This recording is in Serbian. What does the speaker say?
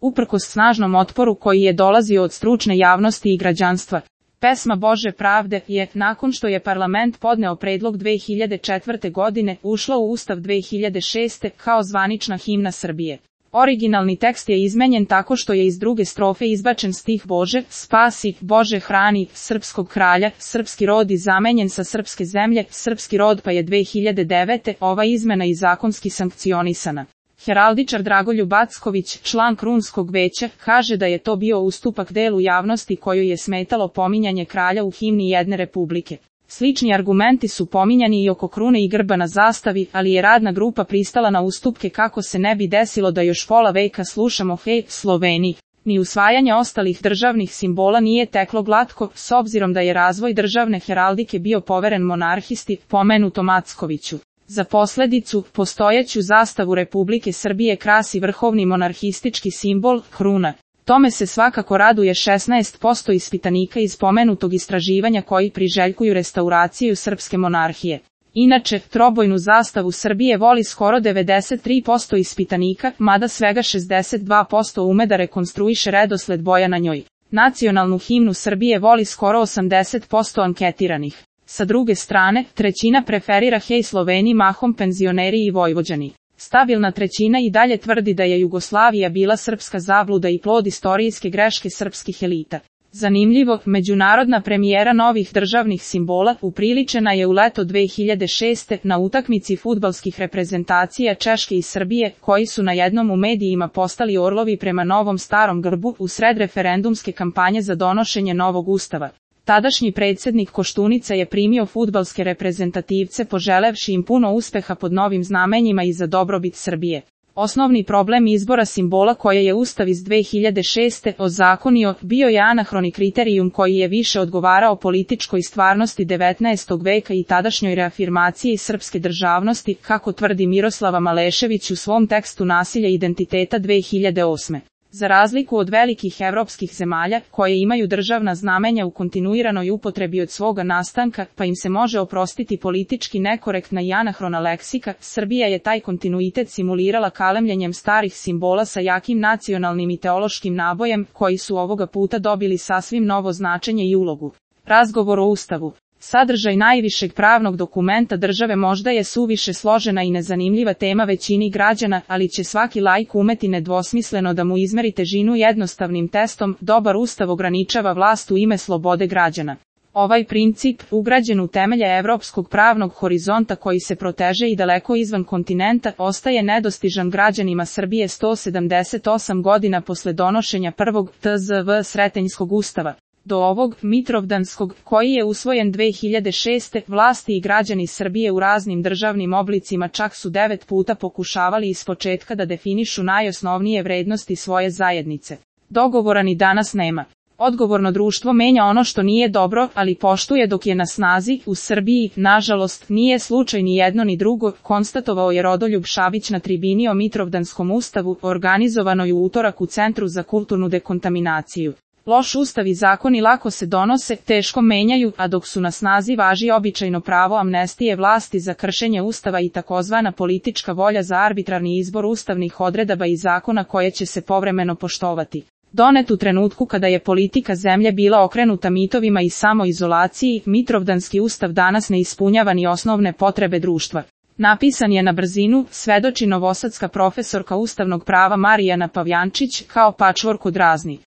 uprkos snažnom otporu koji je dolazio od stručne javnosti i građanstva. Pesma Bože pravde je, nakon što je parlament podneo predlog 2004. godine, ušla u Ustav 2006. kao zvanična himna Srbije. Originalni tekst je izmenjen tako što je iz druge strofe izbačen stih Bože, spasi, Bože hrani, srpskog kralja, srpski rod i zamenjen sa srpske zemlje, srpski rod, pa je 2009. ova izmena i zakonski sankcionisana. Heraldičar Dragoljub Acković, član Krunskog veća, kaže da je to bio ustupak delu javnosti kojoj je smetalo pominjanje kralja u himni jedne republike. Slični argumenti su pominjani i oko krune i grba na zastavi, ali je radna grupa pristala na ustupke kako se ne bi desilo da još pola veka slušamo Hej, Sloveniji. Ni usvajanje ostalih državnih simbola nije teklo glatko, s obzirom da je razvoj državne heraldike bio poveren monarhisti, pomenutom Ackoviću. Za posledicu, postojeću zastavu Republike Srbije krasi vrhovni monarhistički simbol, kruna. Tome se svakako raduje 16% ispitanika iz pomenutog istraživanja koji priželjkuju restauraciju srpske monarhije. Inače, trobojnu zastavu Srbije voli skoro 93% ispitanika, mada svega 62% ume da rekonstruiše redosled boja na njoj. Nacionalnu himnu Srbije voli skoro 80% anketiranih. Sa druge strane, trećina preferira Hej Sloveniji, mahom penzioneri i Vojvođani. Stabilna trećina i dalje tvrdi da je Jugoslavija bila srpska zabluda i plod istorijske greške srpskih elita. Zanimljivo, međunarodna premijera novih državnih simbola upriličena je u leto 2006. na utakmici fudbalskih reprezentacija Češke i Srbije, koji su na jednom u medijima postali orlovi prema novom starom grbu u sred referendumske kampanje za donošenje novog ustava. Tadašnji predsjednik Koštunica je primio fudbalske reprezentativce poželevši im puno uspeha pod novim znamenjima i za dobrobit Srbije. Osnovni problem izbora simbola koje je Ustav iz 2006. ozakonio bio je anahroni kriterijum koji je više odgovarao političkoj stvarnosti 19. veka i tadašnjoj reafirmaciji srpske državnosti, kako tvrdi Miroslava Malešević u svom tekstu Nasilje identiteta 2008. Za razliku od velikih evropskih zemalja, koje imaju državna znamenja u kontinuiranoj upotrebi od svoga nastanka, pa im se može oprostiti politički nekorektna i anahrona leksika, Srbija je taj kontinuitet simulirala kalemljenjem starih simbola sa jakim nacionalnim i teološkim nabojem, koji su ovoga puta dobili sasvim novo značenje i ulogu. Razgovor o Ustavu. Sadržaj najvišeg pravnog dokumenta države možda je suviše složena i nezanimljiva tema većini građana, ali će svaki laik umeti nedvosmisleno da mu izmeri težinu jednostavnim testom. Dobar Ustav ograničava vlast u ime slobode građana. Ovaj princip, ugrađen u temelje evropskog pravnog horizonta koji se proteže i daleko izvan kontinenta, ostaje nedostižan građanima Srbije 178 godina posle donošenja prvog tzv. Sretenjskog ustava. Do ovog, Mitrovdanskog, koji je usvojen 2006. vlasti i građani Srbije u raznim državnim oblicima čak su 9 puta pokušavali ispočetka da definišu najosnovnije vrednosti svoje zajednice. Dogovora ni danas nema. Odgovorno društvo menja ono što nije dobro, ali poštuje dok je na snazi. U Srbiji, nažalost, nije slučaj ni jedno ni drugo, konstatovao je Rodoljub Šabić na tribini o Mitrovdanskom ustavu, organizovanoj u utorak u Centru za kulturnu dekontaminaciju. Loš ustav i zakoni lako se donose, teško menjaju, a dok su na snazi važi običajno pravo amnestije vlasti za kršenje ustava i takozvana politička volja za arbitrarni izbor ustavnih odredaba i zakona koje će se povremeno poštovati. Donet u trenutku kada je politika zemlje bila okrenuta mitovima i samoizolaciji, Mitrovdanski ustav danas ne ispunjava ni osnovne potrebe društva. Napisan je na brzinu, svedoči novosadska profesorka ustavnog prava Marijana Pavljančić, kao patchwork od raznih